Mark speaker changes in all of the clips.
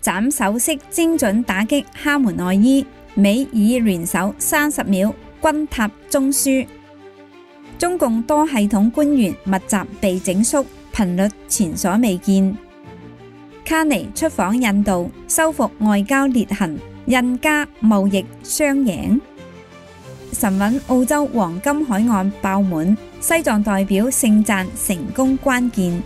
Speaker 1: 斬首式精準打擊哈門內伊，美以聯手30秒軍塔中樞。中共多系統官員密集被整肅，頻率前所未見。卡尼出訪印度，收復外交裂痕，印加貿易雙贏。神韻澳洲黃金海岸爆滿，西藏代表盛讚成功關鍵。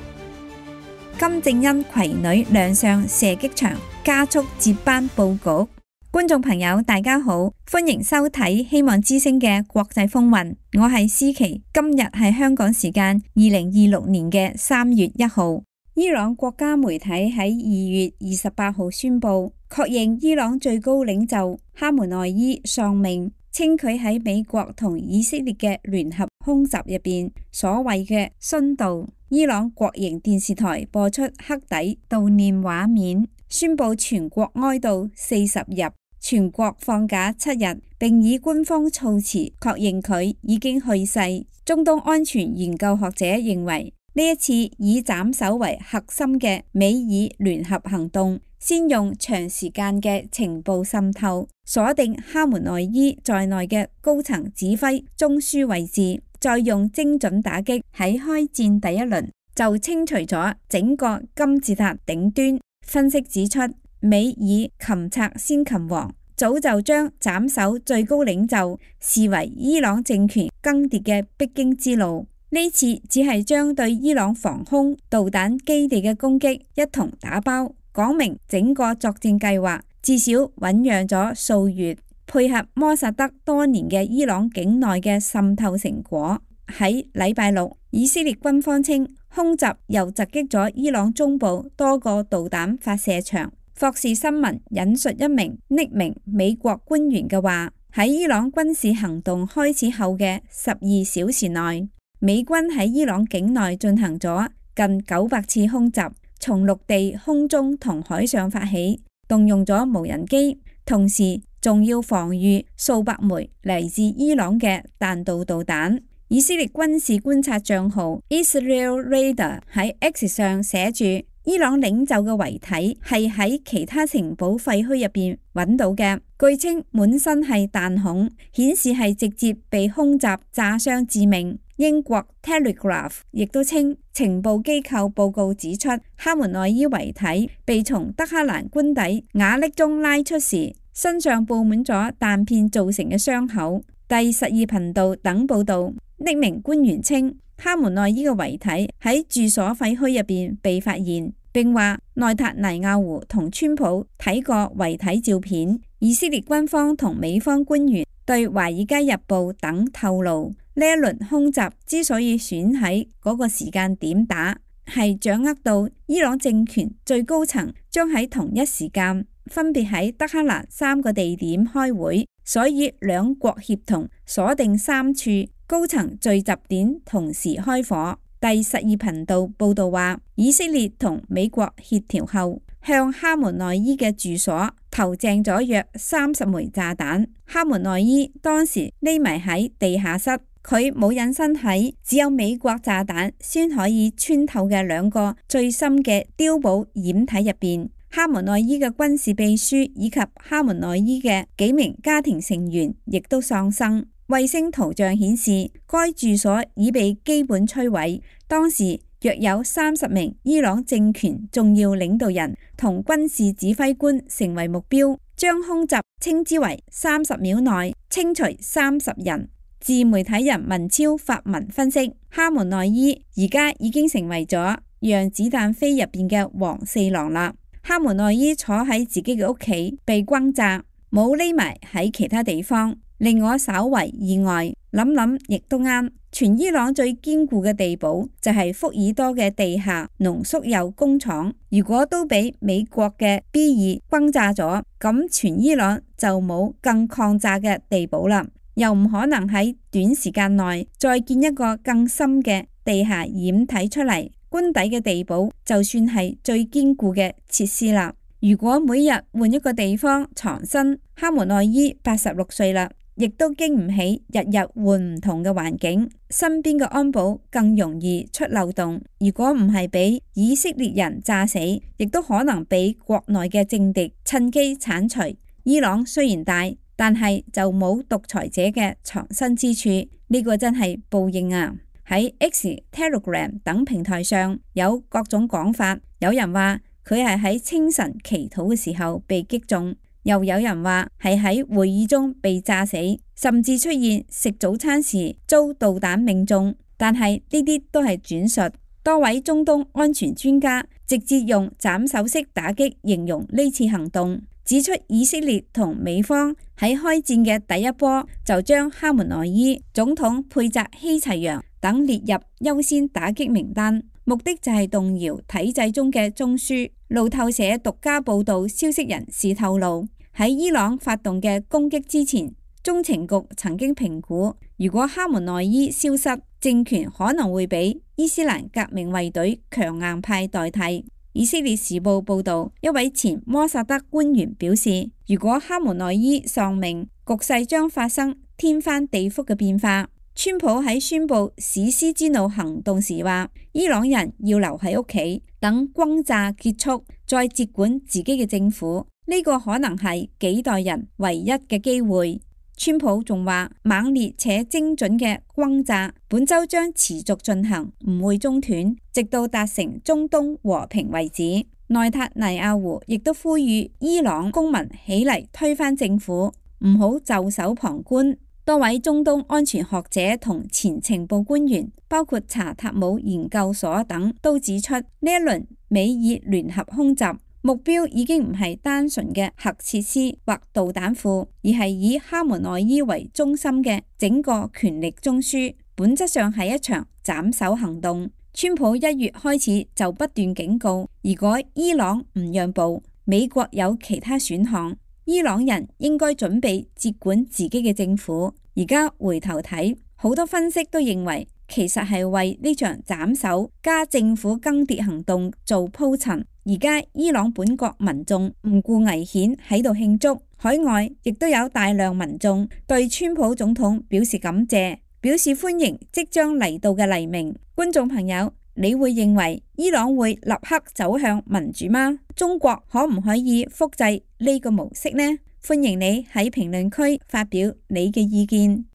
Speaker 1: 金正恩攜女亮相射擊場，加速接班佈局。觀眾朋友大家好，歡迎收睇希望之聲嘅國際風雲，我係思琪。今日係香港時間2026年嘅3月1號。伊朗國家媒體喺2月28號宣布，確認伊朗最高領袖哈梅內伊喪命，稱佢喺美國同以色列嘅聯合空襲入邊所謂嘅殉道。伊朗國營電視台播出黑底悼念畫面，宣布全國哀悼40日，全國放假7日，並以官方措辭確認佢已經去世。中東安全研究學者認為，呢一次以斬首為核心嘅美以聯合行動，先用長時間嘅情報滲透，鎖定哈梅內伊在內嘅高層指揮中樞位置，再用精準打擊，喺開戰第一輪就清除咗整個金字塔頂端。分析指出，美以擒賊先擒王，早就將斬首最高領袖視為伊朗政權更迭嘅必經之路。呢次只係將對伊朗防空導彈基地嘅攻擊一同打包，講明整個作戰計劃至少醞釀咗數月，配合摩薩德多年嘅伊朗境內嘅滲透成果。喺禮拜六，以色列軍方稱空襲又襲擊咗伊朗中部多個導彈發射場。霍士新聞引述一名匿名美國官員嘅話，喺伊朗軍事行動開始後嘅12小時內，美軍喺伊朗境內進行咗近900次空襲，從陸地、空中同海上發起，動用咗無人機，同時仲要防禦數百枚嚟自伊朗嘅彈道導彈。以色列軍事觀察賬號 Israel Radar 喺 X 上寫住，伊朗領袖嘅遺體係喺其他城堡廢墟入邊揾到嘅，據稱滿身係彈孔，顯示係直接被空襲炸傷致命。英國 Telegraph 亦都稱，情報機構報告指出，哈梅內伊遺體被從德黑蘭官邸瓦礫中拉出時，身上布滿咗彈片造成嘅傷口。第12頻道等報道，匿名官員稱，哈梅內伊嘅遺體喺住所廢墟入邊被發現，並話內塔尼亞胡同川普睇過遺體照片。以色列軍方同美方官員對華爾街日報等透露，呢一輪空襲之所以選喺嗰個時間點打，係掌握到伊朗政權最高層將喺同一時間分別喺德黑蘭3個地點開會，所以兩國協同鎖定3處高層聚集點同時開火。第12頻道報道話，以色列同美國協調後，向哈梅內伊嘅住所投擲咗約30枚炸彈。哈梅內伊當時匿埋喺地下室，佢冇隱身喺只有美國炸彈先可以穿透嘅2個最深嘅碉堡掩體入邊。哈梅內伊嘅軍事秘書以及哈梅內伊嘅幾名家庭成員亦都喪生。衛星圖像顯示，該住所已被基本摧毀。當時約有30名伊朗政權重要領導人同軍事指揮官成為目標，將空襲稱之為30秒內清除30人。自媒體人文超發文分析，哈梅內伊而家已經成為咗讓子彈飛入邊嘅黃四郎啦。哈梅內伊坐喺自己嘅屋企被轟炸，冇匿埋喺其他地方，令我稍為意外。諗諗亦都啱，全伊朗最堅固嘅地堡就係福爾多嘅地下濃縮鈾工廠，如果都俾美國嘅 B2轟炸咗，咁全伊朗就冇更抗炸嘅地堡啦，又唔可能喺短時間內再建一個更深嘅地下掩體出嚟。官邸嘅地堡就算係最堅固嘅設施啦。如果每日換一個地方藏身，哈梅內伊86歲啦，亦都經唔起日日換唔同嘅環境，身邊嘅安保更容易出漏洞。如果唔係俾以色列人炸死，亦都可能俾國內嘅政敵趁機剷除。伊朗雖然大，但係就冇獨裁者嘅藏身之處，呢個真係報應啊！喺 X、Telegram 等平台上有各種講法，有人話佢係喺清晨祈禱嘅時候被擊中，又有人話係喺會議中被炸死，甚至出現食早餐時遭導彈命中。但係呢啲都係轉述。多位中東安全專家直接用斬首式打擊形容呢次行動，指出以色列同美方喺開戰嘅第一波就將哈梅內伊、總統佩扎希齊揚等列入優先打擊名單，目的就係動搖體制中嘅中樞。路透社獨家報道，消息人士透露，喺伊朗發動嘅攻擊之前，中情局曾經評估，如果哈梅內伊消失，政權可能會俾伊斯蘭革命衛隊強硬派代替。以色列時報報道，一位前摩薩德官員表示，如果哈梅內伊喪命，局勢將發生天翻地覆嘅變化。川普喺宣布史詩之怒行動時話，伊朗人要留喺屋企，等轟炸結束，再接管自己嘅政府。呢個可能係幾代人唯一嘅機會。川普仲話，猛烈且精準嘅轟炸本週將持續進行，唔會中斷，直到達成中東和平為止。內塔尼亞胡亦都呼籲伊朗公民起嚟推翻政府，唔好袖手旁觀。多位中東安全學者同前情報官員，包括查塔姆研究所等，都指出呢一輪美以聯合空襲目標已經唔係單純嘅核設施或導彈庫，而係以哈梅內伊為中心嘅整個權力中樞，本質上係一場斬首行動。川普1月開始就不斷警告，如果伊朗唔讓步，美國有其他選項。伊朗人應該準備接管自己嘅政府。而家回頭睇，好多分析都認為，其實係為呢場斬首加政府更迭行動做鋪陳。而家伊朗本國民眾唔顧危險喺度慶祝，海外亦都有大量民眾對川普總統表示感謝，表示歡迎即將嚟到嘅黎明。觀眾朋友，你會認為伊朗會立刻走向民主嗎？中國可唔可以複製呢個模式呢？歡迎你喺評論區發表你嘅意見。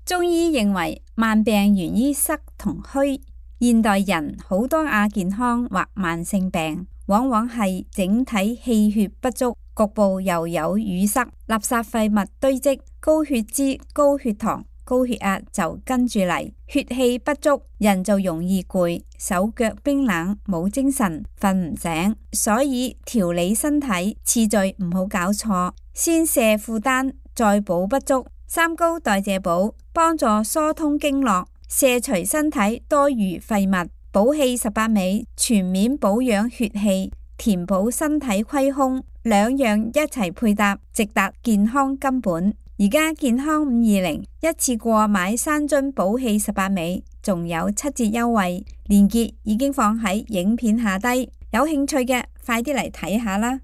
Speaker 1: 中醫認為慢病源於濕同虛，現代人好多亞健康或慢性病，往往係整體氣血不足，局部又有淤塞、垃圾廢物堆積、高血脂、高血糖、高血壓就跟住嚟，血氣不足，人就容易攰，手腳冰冷，冇精神，瞓唔醒。所以調理身體次序唔好搞錯，先卸負擔，再補不足。三高代謝補幫助疏通經絡，卸除身體多餘廢物。補氣18味全面保養血氣，填補身體虧空，兩樣一齊配搭，直達健康根本。而家健康520一次過買3樽補氣18味，仲有7折優惠，鏈接已經放喺影片下低，有興趣嘅快啲嚟睇下啦。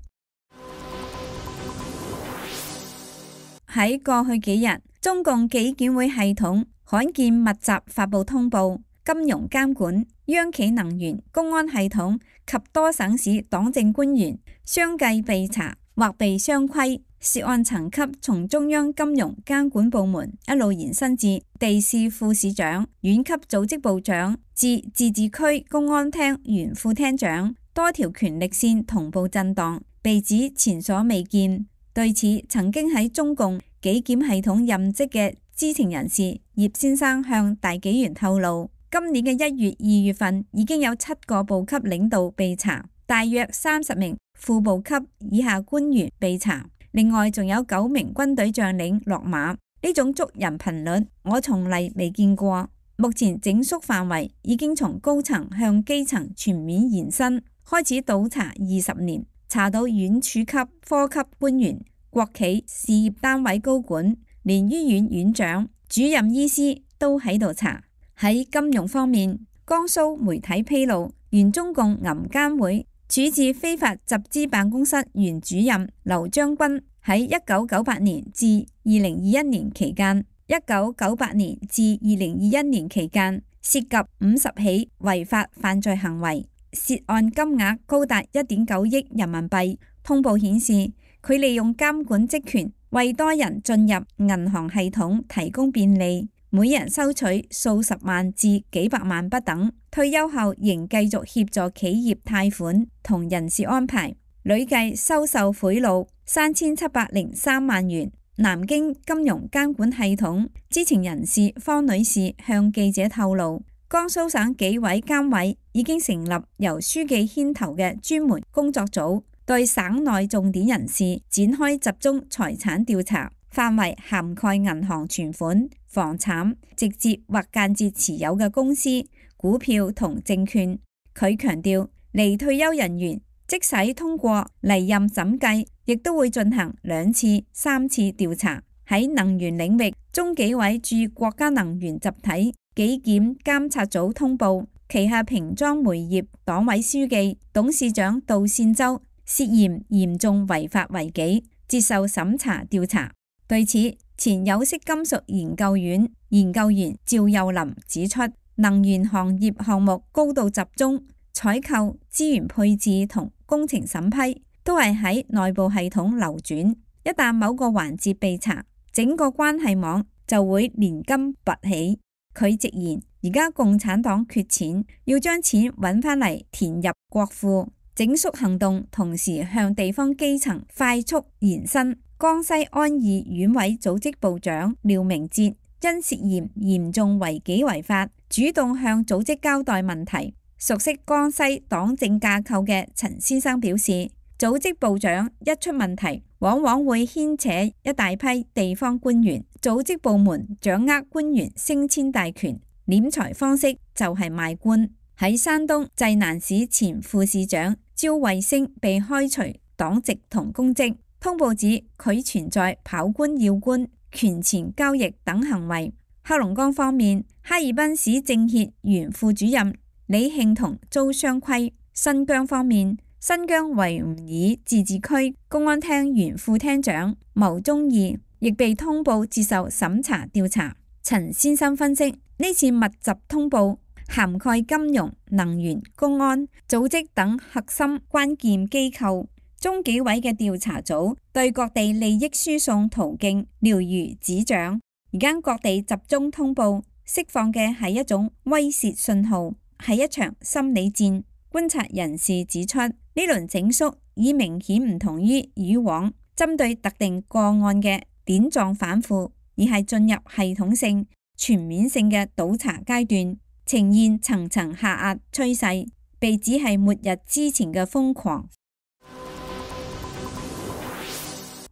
Speaker 1: 喺過去幾日，中共紀檢會系統罕見密集發布通報，金融監管、央企能源、公安系統及多省市黨政官員相繼被查或被雙規。涉案層級從中央金融監管部門一路延伸至地市副市長、縣級組織部長至自治區公安廳原副廳長，多條權力線同步震盪，被指前所未見。對此，曾經喺中共紀檢系統任職嘅知情人士葉先生向大紀元透露，今年嘅1月、2月份已經有7個部級領導被查，大約30名副部級以下官員被查。另外仲有9名軍隊將領落馬，呢種捉人頻率我從嚟未見過。目前整肅範圍已經從高層向基層全面延伸，開始倒查20年，查到縣處級、科級官員、國企事業單位高管，連醫院院長、主任醫師都喺度查。喺金融方面，江蘇媒體披露，原中共銀監會處置非法集資辦公室原主任劉將軍喺喺1998年至2021年期間，1998年至2021年期間涉及50起違法犯罪行為，涉案金額高達1.9億人民幣。通報顯示，佢利用監管職權為多人進入銀行系統提供便利，每人收取數十萬至幾百萬不等。退休後仍繼續協助企業貸款同人事安排，累計收受賄賂3703萬元。南京金融監管系統知情人士方女士向記者透露，江蘇省紀委監委已經成立由書記牽頭嘅專門工作組，對省內重點人士展開集中財產調查，範圍涵蓋銀行存款、房產、直接或間接持有嘅公司、股票同證券。佢強調，離退休人員即使通過離任審計，亦都會進行2次、3次調查。喺能源領域，中紀委駐國家能源集體紀檢監察組通報，旗下瓶裝煤業黨委書記、董事長杜善洲涉嫌嚴重違法違紀，接受審查調查。對此，前有色金屬研究院研究員趙幼林指出，能源行業項目高度集中，採購、資源配置同工程審批都係喺內部系統流轉，一旦某個環節被查，整個關係網就會連根拔起。佢直言，而家共產黨缺錢，要將錢揾返嚟填入國庫。整肅行動同時向地方基層快速延伸。江西安義縣委組織部長廖明哲因涉嫌嚴重違紀違法，主動向組織交代問題。熟悉江西黨政架構嘅陳先生表示，組織部長一出問題，往往會牽扯一大批地方官員，組織部門掌握官員升遷大權，斂財方式就係賣官。喺山東濟南市前副市長焦衛星被開除黨籍同公職，通報指佢存在跑官要官、權錢交易等行為。黑龍江方面，哈爾濱市政協原副主任李慶同遭雙規。新疆方面，新疆維吾爾自治區公安廳原副廳長牟宗義亦被通報接受審查調查。陳先生分析，呢次密集通報涵蓋金融、能源、公安、組織等核心關鍵機構。中紀委嘅調查組對各地利益輸送途徑了如指掌。而家各地集中通報，釋放嘅係一種威懾信號，係一場心理戰。觀察人士指出，呢輪整肅已明顯唔同於以往針對特定個案嘅點狀反腐，而係進入系統性、全面性嘅倒查階段，呈現層層下壓趨勢，被指係末日之前嘅瘋狂。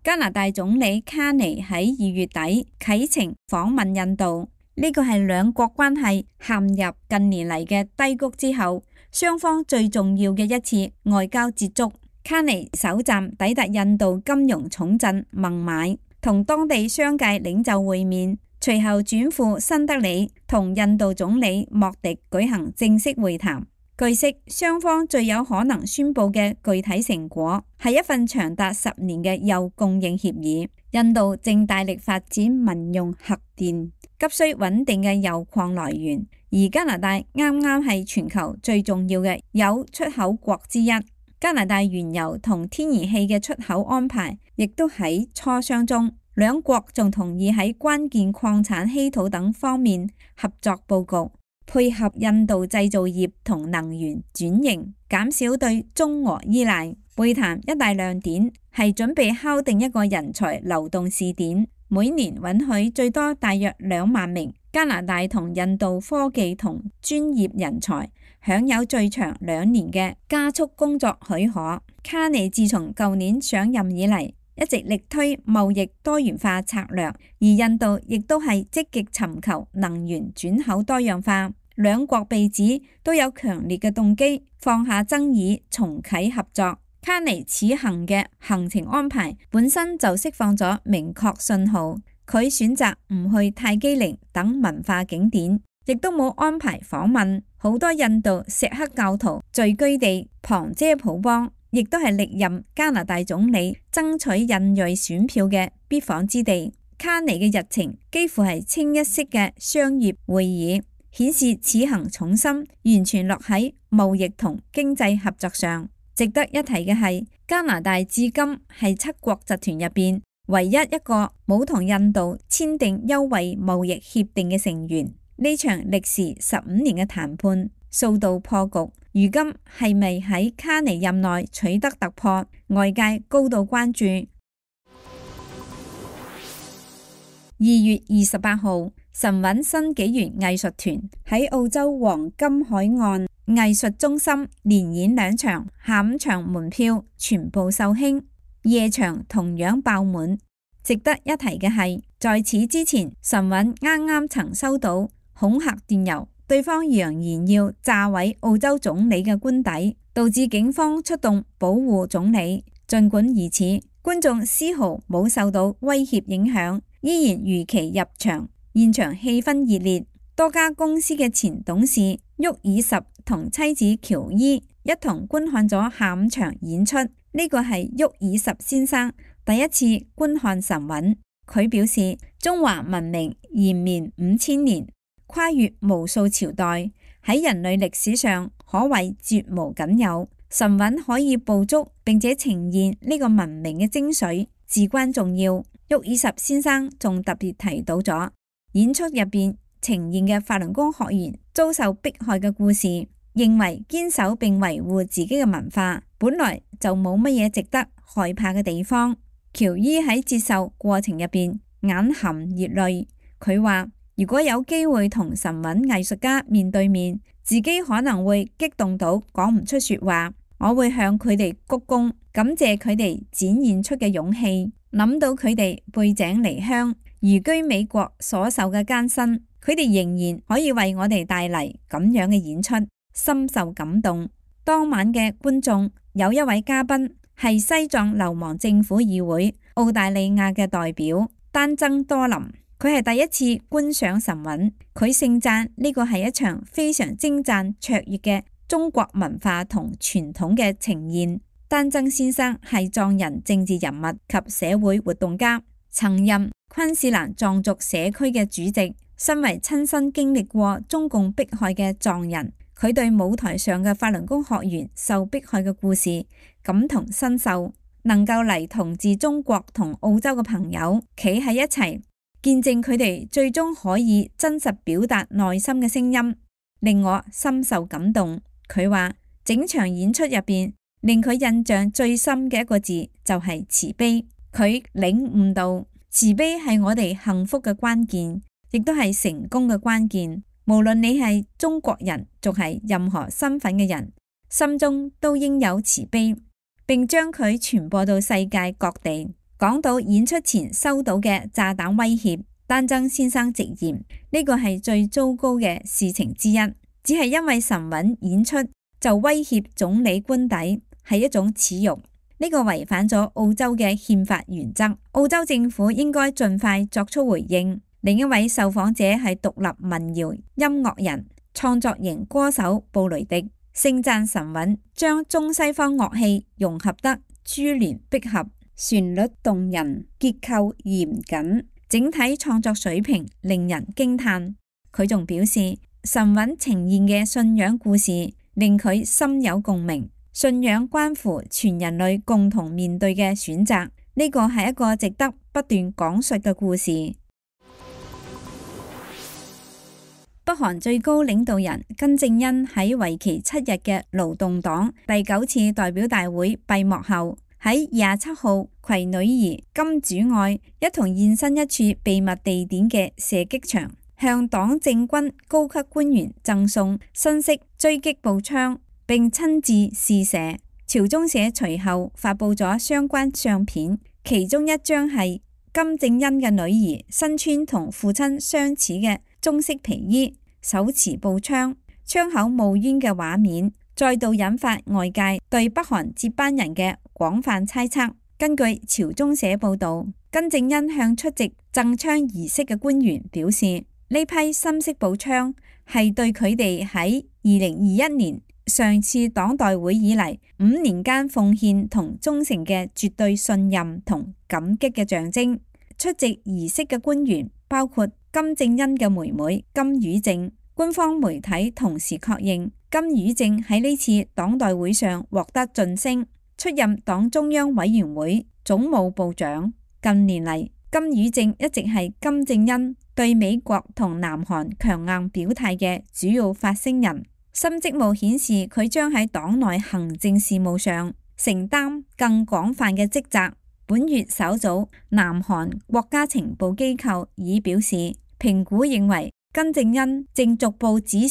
Speaker 1: 加拿大總理卡尼喺2月底啟程訪問印度，呢個係兩國關係陷入近年嚟嘅低谷之後，雙方最重要嘅一次外交接觸。卡尼首站抵達印度金融重鎮孟買，同當地商界領袖會面，隨後轉赴新德里同印度總理莫迪舉行正式會談。據悉，雙方最有可能宣布嘅具體成果係一份長達10年嘅鈾供應協議。印度正大力發展民用核電，急需穩定嘅鈾礦來源，而加拿大啱啱係全球最重要嘅鈾出口國之一。加拿大原油同天然氣嘅出口安排亦都喺磋商中，兩國仲同意喺關鍵礦產稀土等方面合作佈局，配合印度製造業同能源轉型，減少對中俄依賴。會談一大亮點係準備敲定一個人才流動試點，每年允許最多大約2萬名加拿大同印度科技同專業人才，享有最長2年嘅加速工作許可。卡尼自從舊年上任以嚟，一直力推貿易多元化策略，而印度亦都係積極尋求能源轉口多樣化。兩國被指都有強烈嘅動機放下爭議，重啟合作。卡尼此行嘅行程安排本身就釋放咗明確信號，佢選擇唔去泰姬陵等文化景點，亦都冇安排訪問好多印度錫克教徒聚居地旁遮普邦。亦都係歷任加拿大總理爭取印裔選票嘅必訪之地。卡尼嘅日程幾乎係清一色嘅商業會議，顯示此行重心完全落喺貿易同經濟合作上。值得一提嘅係，加拿大至今係7國集團入邊唯一一個冇同印度簽訂優惠貿易協定嘅成員。呢場歷時15年嘅談判數度破局，如今係咪喺卡尼任內取得突破，外界高度關注。2月28號，神韻新紀元藝術團喺澳洲黃金海岸藝術中心連演2場，下午場門票全部售罄，夜場同樣爆滿。值得一提嘅係，在此之前，神韻啱啱曾收到恐嚇電郵，對方揚言要炸毀澳洲總理嘅官邸，導致警方出動保護總理。儘管如此，觀眾絲毫冇受到威脅影響，依然如期入場，現場氣氛熱烈。多家公司嘅前董事沃爾什同妻子喬伊一同觀看咗下午場演出。呢個係沃爾什先生第一次觀看神韻。佢表示，中華文明延綿5000年，跨越無數朝代，喺人類歷史上可謂絕無僅有。神韻可以捕捉並且呈現呢個文明嘅精髓，至關重要。沃爾什先生仲特別提到咗演出入邊呈現嘅法輪功學員遭受迫害嘅故事，認為堅守並維護自己嘅文化本來就冇乜嘢值得害怕嘅地方。喬伊喺接受過程入邊眼含熱淚，佢話如果有機會同神韻藝術家面對面，自己可能會激動到講唔出說話，我會向佢哋鞠躬，感謝佢哋展現出嘅勇氣。諗到佢哋背井離鄉移居美國所受嘅艱辛，佢哋仍然可以為我哋帶嚟咁樣嘅演出，深受感動。當晚嘅觀眾有一位嘉賓係西藏流亡政府議會澳大利亞嘅代表丹增多林，佢係第一次觀賞神韻，佢盛讚呢個係一場非常精湛卓越嘅中國文化同傳統嘅呈現。丹增先生係藏人政治人物及社會活動家，曾任昆士蘭藏族社區嘅主席。身為親身經歷過中共迫害嘅藏人，佢對舞台上嘅法輪功學員受迫害嘅故事感同身受，能夠嚟同自中國同澳洲嘅朋友企喺一齊，見證佢哋最終可以真實表達內心嘅聲音，令我深受感動。佢話整場演出入邊，令佢印象最深嘅一個字就係慈悲。佢領悟到慈悲係我哋幸福嘅關鍵，亦都係成功嘅關鍵。無論你係中國人，仲係任何身份嘅人，心中都應有慈悲，並將佢傳播到世界各地。講到演出前收到嘅炸彈威脅，丹增先生直言呢個係最糟糕嘅事情之一，只係因為神韻演出就威脅總理官邸，係一種恥辱。呢個違反咗澳洲嘅憲法原則，澳洲政府應該盡快作出回應。另一位受訪者係獨立民謠音樂人、創作型歌手布雷迪，盛讚神韻將中西方樂器融合得珠聯璧合，旋律動人，結構嚴謹，整體創作水平令人驚嘆。佢仲表示，神韻呈現嘅信仰故事令佢深有共鳴。信仰關乎全人類共同面對嘅選擇，呢個係一個值得不斷講述嘅故事。北韓最高領導人金正恩喺為期7日嘅勞動黨第9次代表大會閉幕後，喺27號携女兒金主愛一同現身一處秘密地點嘅射擊場，向黨政軍高級官員贈送新式狙擊步槍，並親自試射。朝中社隨後發佈咗相關相片，其中一張係金正恩嘅女兒身穿同父親相似嘅棕色皮衣，手持步槍，槍口冒煙嘅畫面，再度引發外界對北韓接班人嘅廣泛猜測。根據朝中社報導，金正恩向出席贈槍儀式嘅官員表示，呢批新式步槍係對佢哋喺2021年上次黨代會以嚟5年間奉獻同忠誠嘅絕對信任同感激嘅象徵。出席儀式嘅官員包括金正恩嘅妹妹金與正。官方媒體同時確認，金與正喺呢次黨代會上獲得晉升，出任黨中央委員會總務部長。近年嚟，金與正一直係金正恩對美國同南韓強硬表態嘅主要發聲人。新職務顯示佢將喺黨內行政事務上承擔更廣泛嘅職責。本月首早，南韓國家情報機構已表示，評估認為金正恩正逐步指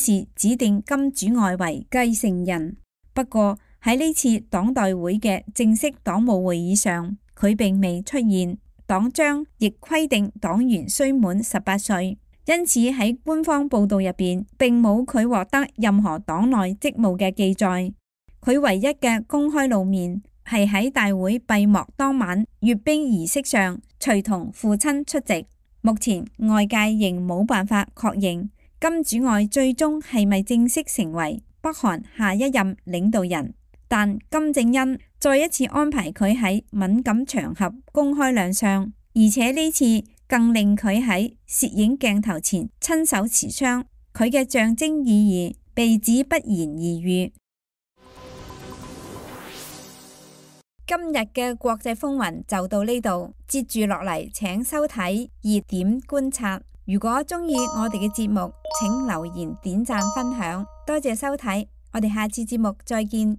Speaker 1: 定金主愛為繼承人。不過喺呢次黨代會嘅正式黨務會議上，佢並未出現。黨章亦規定黨員須滿18歲，因此喺官方報道入邊並冇佢獲得任何黨內職務嘅記載。佢唯一嘅公開露面係喺大會閉幕當晚閱兵儀式上，隨同父親出席。目前外界仍冇辦法確認金主愛最終係咪正式成為北韓下一任領導人，但金正恩再一次安排佢喺敏感場合公開亮相，而且呢次更令佢喺攝影鏡頭前親手持槍，佢嘅象徵意義被指不言而喻。今日嘅國際風雲就到呢度，接住落嚟請收睇熱點觀察。如果鍾意我哋嘅節目，請留言、點讚、分享，多謝收睇，我哋下次節目再見。